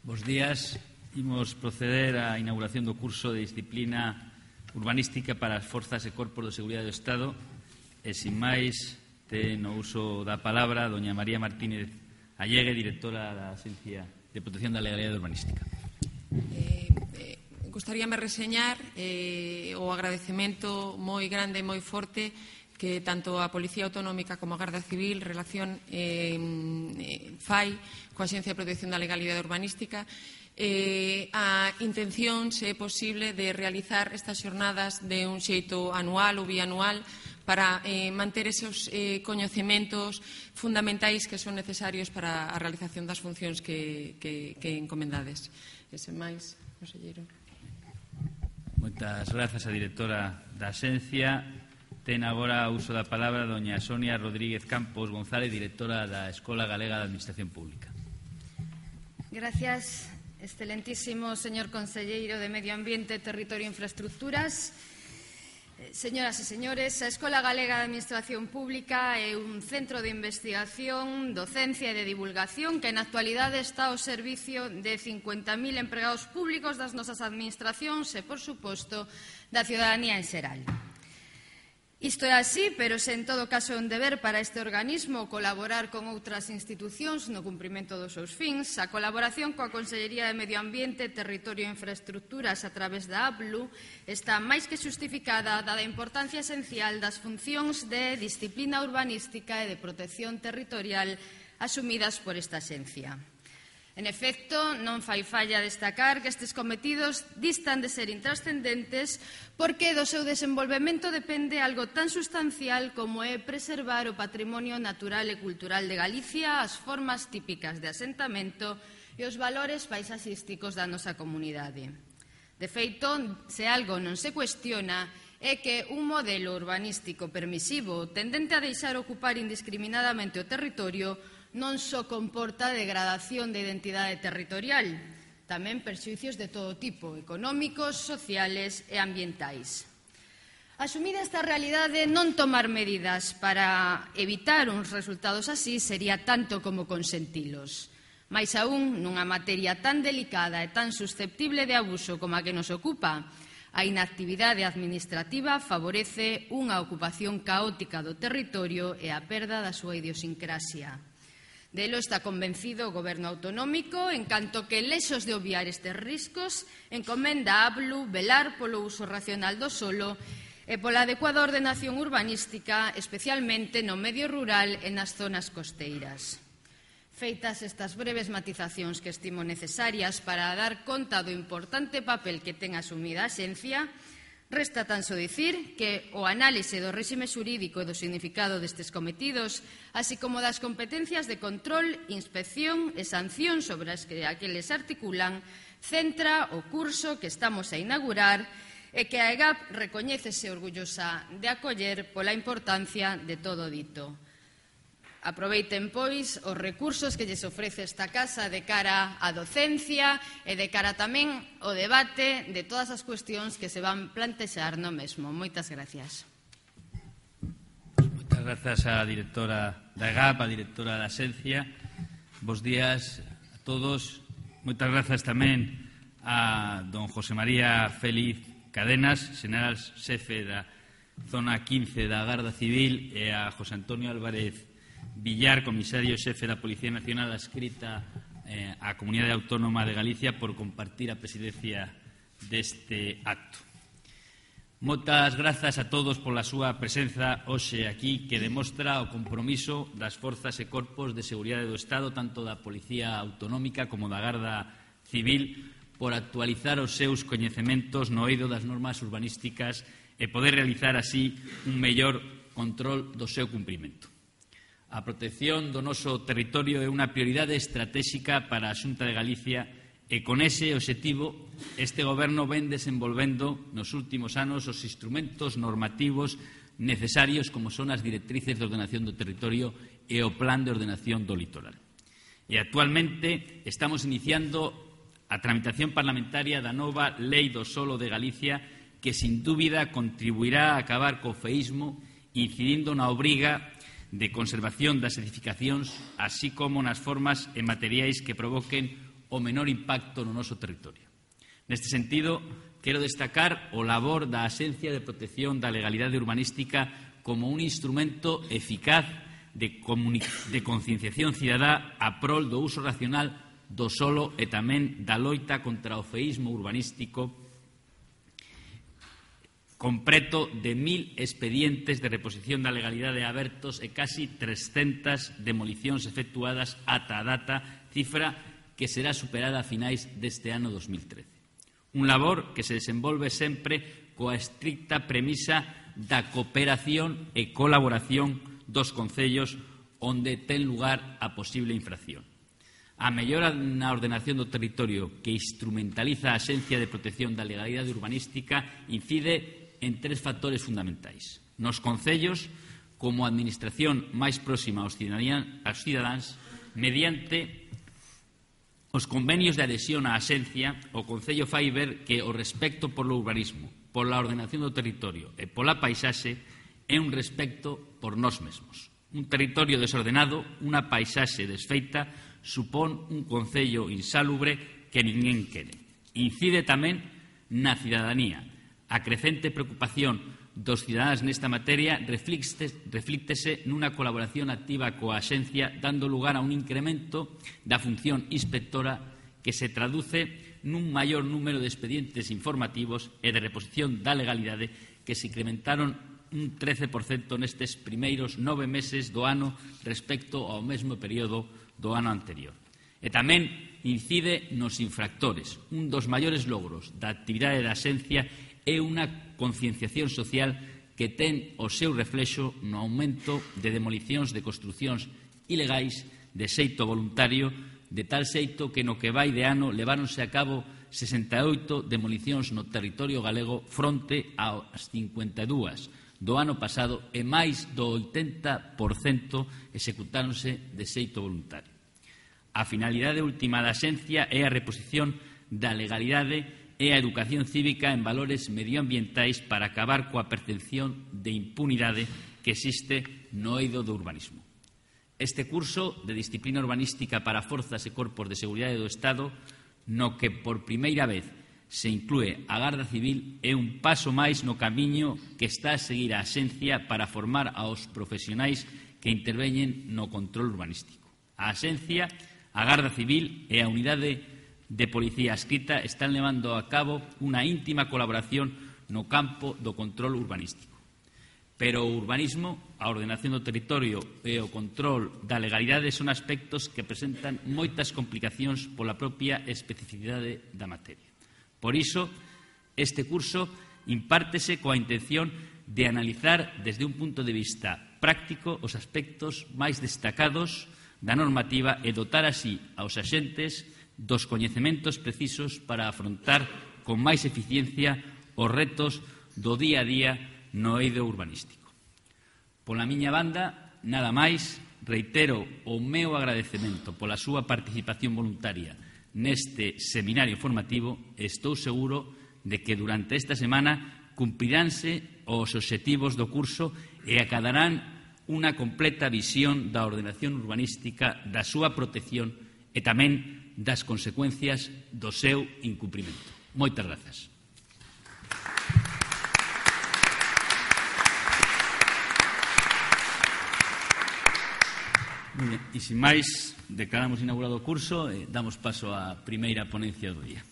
Bos días. Imos proceder á inauguración do curso de disciplina urbanística para as forzas e corpos de seguridade do Estado e, sin máis, ten o uso da palabra doña María Martínez Allegue, directora da Agencia de Protección da Legalidade Urbanística. Gustaríame reseñar o agradecemento moi grande e moi forte que tanto a Policía Autonómica como a Garda Civil relación fai coa Axencia de Protección da Legalidade Urbanística. A intención, se é posible, de realizar estas xornadas de un xeito anual ou bianual para manter esos coñecementos fundamentais que son necesarios para a realización das funcións que encomendades. E sen máis, conselleiro. Moitas grazas a directora da Axencia. Ten agora o uso da palabra doña Sonia Rodríguez Campos González, directora da Escola Galega de Administración Pública. Gracias, excelentísimo señor conselleiro de Medio Ambiente, Territorio e Infraestructuras. Señoras e señores, a Escola Galega de Administración Pública é un centro de investigación, docencia e de divulgación que na actualidade está ao servicio de 50.000 empregados públicos das nosas administracións e, por suposto, da ciudadanía en xeral. Isto é así, pero se en todo caso é un deber para este organismo colaborar con outras institucións no cumprimento dos seus fins. A colaboración coa Consellería de Medio Ambiente, Territorio e Infraestructuras a través da APLU está máis que xustificada dada a importancia esencial das funcións de disciplina urbanística e de protección territorial asumidas por esta axencia. En efecto, non fai falla destacar que estes cometidos distan de ser intrascendentes porque do seu desenvolvemento depende algo tan sustancial como é preservar o patrimonio natural e cultural de Galicia, as formas típicas de asentamento e os valores paisaxísticos da nosa comunidade. De feito, se algo non se cuestiona é que un modelo urbanístico permisivo tendente a deixar ocupar indiscriminadamente o territorio non só comporta degradación de identidade territorial, tamén perxuicios de todo tipo, económicos, sociales e ambientais. Asumida esta realidade, non tomar medidas para evitar uns resultados así sería tanto como consentilos. Mais aún, nunha materia tan delicada e tan susceptible de abuso como a que nos ocupa, a inactividade administrativa favorece unha ocupación caótica do territorio e a perda da súa idiosincrasia. Delo está convencido o Goberno autonómico, en canto que, lexos de obviar estes riscos, encomenda a APLU velar polo uso racional do solo e pola adecuada ordenación urbanística, especialmente no medio rural e nas zonas costeiras. Feitas estas breves matizacións que estimo necesarias para dar conta do importante papel que ten asumida a Axencia, resta tan só dicir que o análise do réxime xurídico e do significado destes cometidos, así como das competencias de control, inspección e sanción sobre as que aqueles articulan, centra o curso que estamos a inaugurar e que a EGAP recoñécese orgullosa de acoller pola importancia de todo dito. Aproveiten, pois, os recursos que lles ofrece esta casa de cara á docencia e de cara tamén ao debate de todas as cuestións que se van plantexar no mesmo. Moitas gracias. Moitas grazas á directora da EGAP, á directora da Axencia. Bos días a todos. Moitas grazas tamén a don José María Félix Cadenas, xeneral xefe da Zona 15 da Garda Civil, e a José Antonio Álvarez Villar, comisario xefe da Policía Nacional adscrita á Comunidade Autónoma de Galicia, por compartir a presidencia deste acto. Moitas grazas a todos pola súa presenza hoxe aquí, que demostra o compromiso das forzas e corpos de seguridade do Estado, tanto da Policía Autonómica como da Garda Civil, por actualizar os seus coñecementos no eido das normas urbanísticas e poder realizar así un mellor control do seu cumprimento. A protección do noso territorio é unha prioridade estratégica para a Xunta de Galicia e con ese obxectivo este Goberno ven desenvolvendo nos últimos anos os instrumentos normativos necesarios como son as directrices de ordenación do territorio e o Plan de Ordenación do Litoral. E actualmente estamos iniciando a tramitación parlamentaria da nova Lei do Solo de Galicia, que sin dúbida contribuirá a acabar co feísmo, incidindo na obriga de conservación das edificacións, así como nas formas e materiais que provoquen o menor impacto no noso territorio. Neste sentido, quero destacar o labor da Axencia de Protección da Legalidade Urbanística como un instrumento eficaz de concienciación cidadá a prol do uso racional do solo e tamén da loita contra o feísmo urbanístico, con preto de 1.000 expedientes de reposición da legalidade abertos e casi 300 demolicións efectuadas ata a data, cifra que será superada a finais deste ano 2013. Un labor que se desenvolve sempre coa estricta premisa da cooperación e colaboración dos concellos onde ten lugar a posible infracción. A mellora na ordenación do territorio que instrumentaliza a Axencia de Protección da Legalidade Urbanística incide en 3 factores fundamentais. Nos concellos, como administración máis próxima aos cidadáns, mediante os convenios de adhesión á Axencia, o Concello fai ver que o respecto polo urbanismo, pola ordenación do territorio e pola paisaxe é un respecto por nós mesmos. Un territorio desordenado, unha paisaxe desfeita, supón un concello insalubre que ninguén quere. Incide tamén na cidadanía. A crecente preocupación dos cidadáns nesta materia reflíctese nunha colaboración activa coa Axencia, dando lugar a un incremento da función inspectora que se traduce nun maior número de expedientes informativos e de reposición da legalidade que se incrementaron un 13% nestes primeiros 9 meses do ano respecto ao mesmo período do ano anterior. E tamén incide nos infractores. Un dos maiores logros da actividade da Axencia é unha concienciación social que ten o seu reflexo no aumento de demolicións de construcións ilegais de xeito voluntario, de tal xeito que no que vai de ano leváronse a cabo 68 demolicións no territorio galego fronte ás 52 do ano pasado e máis do 80% executáronse de xeito voluntario. A finalidade última da Axencia é a reposición da legalidade e a educación cívica en valores medioambientais para acabar coa percepción de impunidade que existe no eido do urbanismo. Este curso de disciplina urbanística para forzas e corpos de seguridade do Estado, no que por primeira vez se inclúe a Garda Civil, é un paso máis no camiño que está a seguir a Axencia para formar aos profesionais que interveñen no control urbanístico. A Axencia, a Garda Civil e a Unidade de Policía Adscrita están levando a cabo unha íntima colaboración no campo do control urbanístico. Pero o urbanismo, a ordenación do territorio e o control da legalidade son aspectos que presentan moitas complicacións pola propia especificidade da materia. Por iso, este curso impártese coa intención de analizar desde un punto de vista práctico os aspectos máis destacados da normativa e dotar así aos axentes dos coñecementos precisos para afrontar con máis eficiencia os retos do día a día no eido urbanístico. Pola miña banda, nada máis, reitero o meu agradecemento pola súa participación voluntaria neste seminario formativo e estou seguro de que durante esta semana cumpriránse os obxectivos do curso e acadarán unha completa visión da ordenación urbanística, da súa protección e tamén das consecuencias do seu incumprimento. Moitas grazas. Muy bien, e sin máis, declaramos inaugurado o curso e damos paso á primeira ponencia do día.